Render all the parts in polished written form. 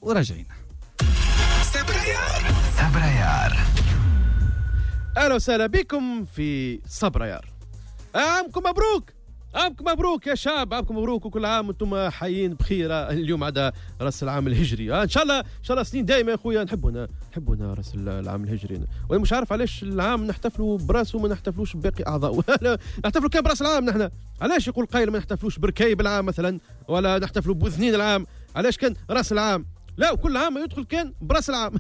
وراجعين. صبريار. اهلا وسهلا بكم في صبريار. عامكم مبروك، عامكم مبروك يا شعب، عامكم مبروك وكل عام وانتم حيين بخير. اليوم عدا راس العام الهجري، ان شاء الله ان شاء الله سنين دايمه يا خويا. نحبونا راس العام الهجري، وانا مش عارف علاش العام نحتفلوا براسه وما نحتفلوش بباقي اعضائه. نحتفلوا كان براس العام نحن. علاش يقول قايل ما نحتفلوش بركايب العام مثلا، ولا نحتفلوا بوذنين العام؟ علاش كان راس العام؟ لا، وكل عام يدخل كان براس العام.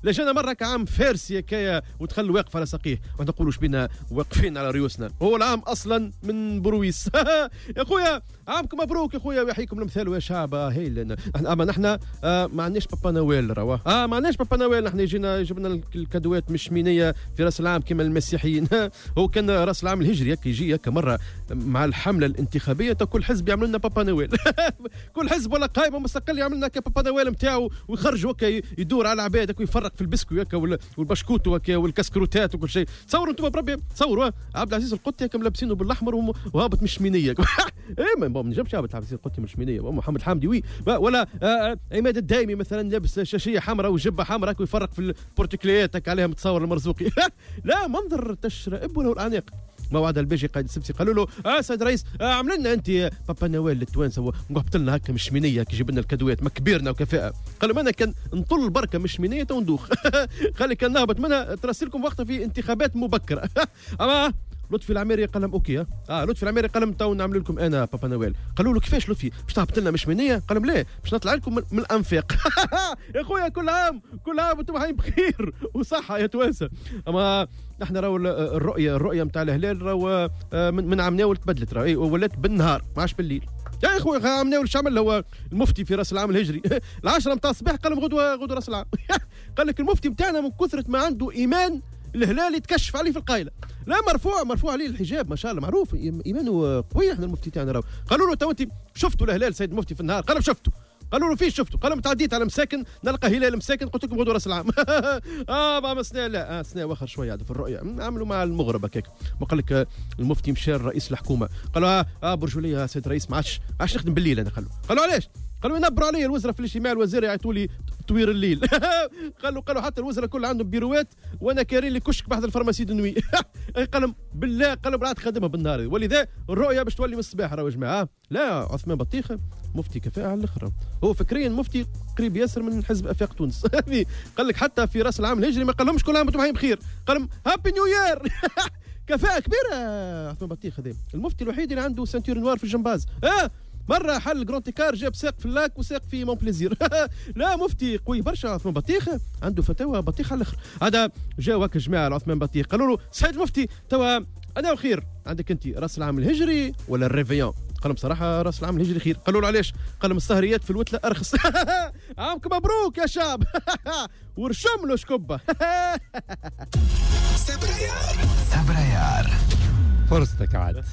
لا جانا مرة كعام فارسي هكايا ودخل واقف على ساقيه، وما نقولوش بينا واقفين على ريوسنا، هو العام اصلا من برويس. يا خويا عامكم مبروك يا خويا، ويحييكم الامثال يا شعب. هايل. اما نحن ما عندناش papa Noël، روا ما عندناش papa Noël. نحن يجينا جبنا الكادوات مش مينيه في راس العام كما المسيحيين. هو كان راس العام الهجري هكا يجي هكا مرة مع الحملة الانتخابية، كل حزب يعمل لنا papa Noël. كل حزب ولا قائمة مستقل يعمل لنا papa Noël نتاعو، ويخرج هكا يدور على العباد ويفرق في البسكوي هكا والبشكوت هكا والكسكروتات وكل شيء. تصوروا انتم بربي، تصوروا عبد العزيز القطي هكا ملابسينه بالاحمر وهابط مش مينيه. ايه ما نجمش عبد العزيز القطي مش مينيه، محمد حامدي oui، ولا عماد الدايمي مثلا لابس شاشيه حمراء وجبة حمراء ويفرق في البورتكليات هكا عليها متصور المرزوقي. لا منظر تشرئب له الاعناق. ما وعد البيجي قائد السبسي قالوا له سيد رئيس، عمل لنا انت papa Noël للتوانسه وهبط لنا هكا مش مينيه كي جيب لنا الكادوات ما كبيرنا وكفاءة. قالوا انا كان نطل بركة مش مينيه تو ندوخ. قال كان نهبط منها ترسلكم وقتها في انتخابات مبكرة. اما لطفي العميري قال لهم OK. لطفي العميري قال لهم تو نعمل لكم انا papa Noël. قالوا له كيفاش لطفي باش تهبط لنا مش مينيه؟ قال لهم لا، باش نطلع لكم من الانفاق. يا خويا كل عام كل عام وانتم حيين بخير وصحة يا توانسة. اما نحن راهو الرؤية نتاع الهلال راهو من عام ناول تبدلت، راهو ولات بالنهار ما عادش بالليل. يا خويا عام ناول شو عمل هو المفتي في راس العام الهجري؟ 10 نتاع الصباح قال لهم غدوه راس العام. قال لك المفتي نتاعنا من كثرة ما عنده ايمان الهلال يتكشف عليه في القايله. لا مرفوع عليه الحجاب ما شاء الله، معروف ايمانه قوي. احنا المفتي تاعنا راهو قالوا له تو انت شفتوا الهلال سيد المفتي في النهار؟ قالوا شفتوا. قالوا له فين شفتوا؟ قالوا تعديت على مساكن نلقى هلال مساكن قلت لكم غدوه راس العام. ما سنة لا سنة واخر شوية في الرؤية عملوا مع المغرب هكاك. ما قال لك المفتي مشى رئيس الحكومة قالوا برجولية سيد الرئيس ما عادش نخدم بالليل انا. قالوا علاش؟ قالوا ينبروا علي الوزراء في الاجتماع الوزير يعيطوا لي طوير الليل. قالوا حتى الوزراء كل عندهم بيروات وانا كارين لي كشك بحذا ال pharmacie de nuit. قالوا بالله، قالوا بالعاد خدمها بالنهار. ولذا الرؤية باش تولي من الصباح راهو يا جماعة. لا عثمان بطيخه مفتي كفاءة على الاخر، هو فكريا مفتي قريب ياسر من حزب افاق تونس. قال لك حتى في راس العام الهجري ما قال لهمش كل عام وانتم حيين بخير، قال لهم happy new year. كفاءة كبيرة عثمان بطيخه هذا، المفتي الوحيد اللي عنده ceinture noire في الجمباز. مرة حل grand écart جاب ساق في ال Lac وساق في مونبليزير. لا مفتي قوي برشا عثمان بطيخ، عنده فتاوى بطيخ على الاخر. هذا جاو هكا جماعة عثمان بطيخ قالوا له سيد المفتي توا انا وخير عندك انت راس العام الهجري ولا ال réveillon؟ قال لهم صراحة راس العام الهجري خير. قالوا له علاش؟ قال لهم السهريات في الوتله ارخص. عامكم مبروك يا شعب. ورشم له شكبه. صبريار فرصتك عاد.